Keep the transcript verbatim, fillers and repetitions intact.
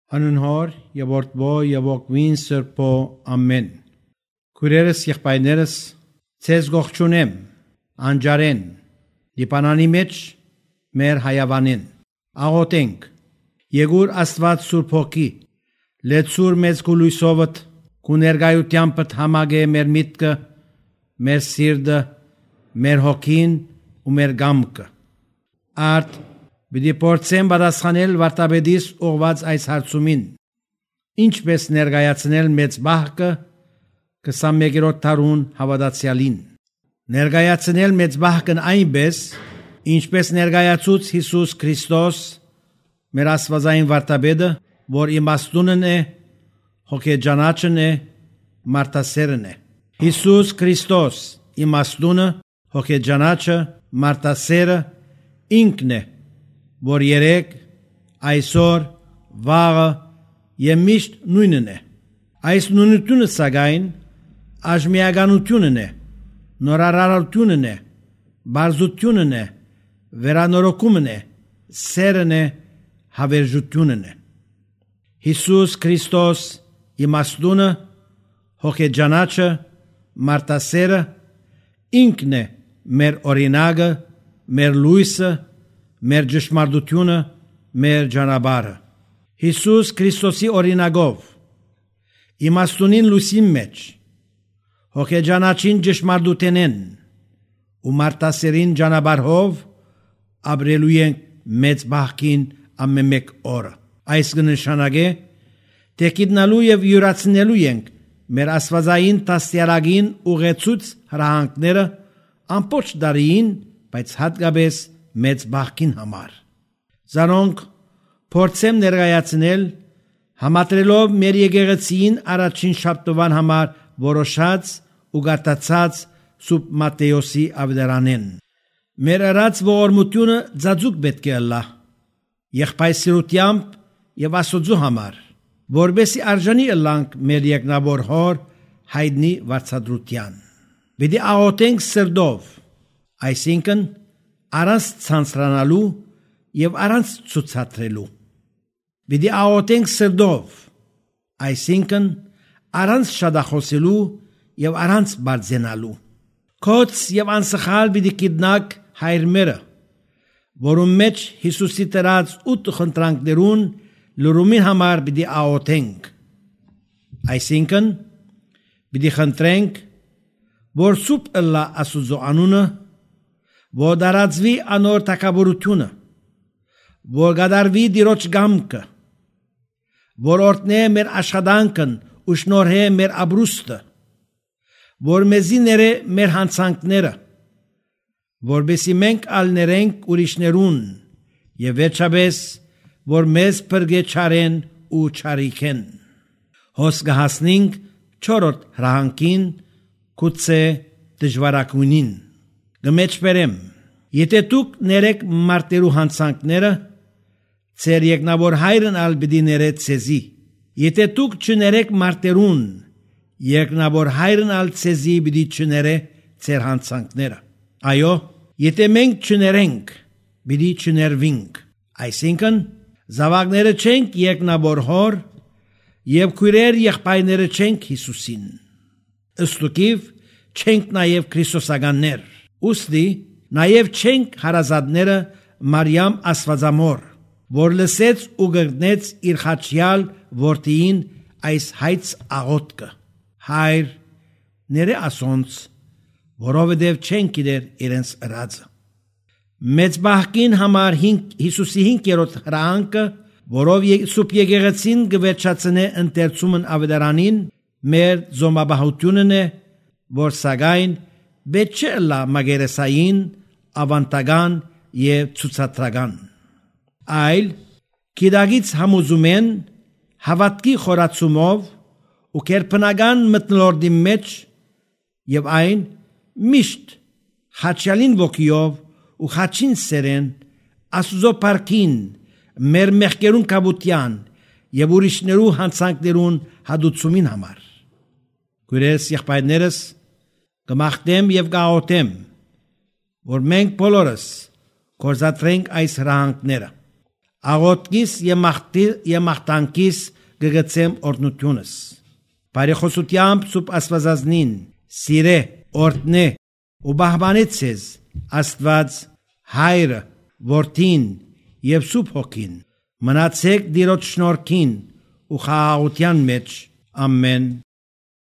Անունհոր եւ որդվո եւ ոգվին սրբո ամեն։ Քուրերս եղբայրներս ցեզ գողջունեմ անջարեն դիպանանի մեջ մեր հայավանին աղոթենք Եգուր Աստված Սուրբ Հոգի լեցուր մեծ գույսովդ կու ներգայությամբ համագե մեր միտքը մեր սիրտը մեր հոգին ու մեր գամքը արդ Բիդի փորձեմ պատասխանել վարտաբեդիս ուղված այս հարցումին ինչպես ներկայացնել մեծ բահկը քսանմեկերորդ դարուն հավատացյալին ներկայացնել մեծ բահկն այնպես ինչպես ներկայացուց Հիսուս Քրիստոս մեր աստվածային վարտաբեդը որ իմաստունն է հոգեջանաչն է մարտասերն է Հիսուս Քրիստոս իմաստունը հոգեջանաչը մարտասերը ինքն է որ երեք, այսօր, վաղը և միշտ նույնն է։ Այս նույնությունը սակայն աժմիականությունն է, նորարարությունն է, բարձությունն է, վերանորոգումն է, սերն է, հավերժությունն է։ Հիսուս Քրիստոս իմաստունը, հոգեջանաչը, մարտասերը ինքն է մեր օրինակը, մեր լույսը, մեր ճշմարտությունը, մեր ճանապարհը։ Հիսուս Քրիստոսի օրինակով իմաստունին լույսի մեջ հոգեջանաչին ճշմարտութենեն ու մարտասերին ճանապարհով ապրելու ենք մեծ բախքին ամենեկ օրը։ Այս կնշանակե թե գիտնալու եւ յուրացնելու ենք մեր աստվածային տասյալագին ուղեցուց հրահանգները ամբողջ դարին, բայց հատկապես մեծ բախքին համար։ Զանոնք փորձեմ ներկայացնել համատրելով մեր եկեղեցին առաջին շաբթվան համար որոշած ու գարտացած Սուրբ Մատթեոսի ավետարանեն։ Մեր արած ողորմությունը ծածուկ պետք է ըլլա եղբայրսիրությամբ եւ Աստծո համար, որբեսի արժանի ըլլանք մեր երկնավոր հոր հայտնի վարձատրության։ Պիտի աղոթենք սրտով, այսինքն առանց ցանցրանալու եւ առանց ցուցադրելու։ Պիտի աղոթենք սրտով, այսինքն առանց շատախոսելու եւ առանց բարձենալու։ Կոց եւ անսխալ պիտի գիտնակ հայրմերը, որում մեջ Հիսուսի տրած ութ խնդրանքներուն լրումին համար պիտի աղոթենք։ Այսինքն պիտի խնդրենք, որ սուրբ ըլլա Աստծո անունը, որ դարածվի անոր թակավորությունը, որ գադարվի դիրոջ գամքը, որ օրտնե մեր աշխատանքն ու շնորհե մեր ապրուստը, որ մեզի ները մեր հանցանքները, որբեսի մենք ալներենք ուրիշներուն եւ վերջապես որ մեզ փրկե չարեն ու չարիքեն։ Հոս գահասնինք չորրորդ հրահանգին կուցե դժվարակունին։ Գմեջբերեմ, եթե դուք ներեք մարտերու հանցանքները, ծեր երկնավոր հայրն ալ պիտի ները ցեզի։ Եթե դուք չներեք մարտերուն, երկնավոր հայրն ալ ցեզի պիտի չները ծեր հանցանքները։ Այո, եթե մենք չներենք, պիտի չներվինք։ Այսինքն, զավակները չենք երկնավոր հոր եւ քույրեր եղբայրները չենք Հիսուսին։ Ըստուկիվ չենք նաեւ քրիստոսականներ։ Ուստի նաև չենք հարազատները Մարիամ Աստվածամոր, որ լսեց ու գտնեց իր խաչյալ որդիին այս հայց աղոթքը. Հայր, ները ասոնց, որովհետև չեն գիտեր իրենց ըրածը։ Մեծ բախքին համար Հիսուսի հինգերորդ հրահանգը, որով Սուրբ եկեղեցին կվերջացնե ընթերցումն ավետարանին, մեր զոմաբահությունն է, որ սակայն պետք չէ լա մագերեսային, ավանտական եւ ցուցադրական։ Այլ գիտագից համոզում են հավատքի խորացումով ու կերպնական մտնոլորտի մեջ եւ այն միշտ խաչյալին ոգիով ու խաչին սերեն Աստծո парքին մեր մեղքերուն կապության եւ ուրիշներու հանցանքներուն հադուցումին համար։ Քույրերս եղբայրներս կմաղթեմ եւ կաղոթեմ, որ մենք բոլորս կորզատրենք այս հրահանգները։ աղոտքիս եւ մաղթանքիս գգցեմ օրնությունս։ Բարեխոսությամբ սուբ Աստվածածնին սիրե օրտնե ու բահբանեց ձեզ Աստված Հայրը, Որդին եւ Սուրբ Հոգին։ Մնացեք Տիրոջ շնորհքին ու խաղաղության մեջ։ Ամեն։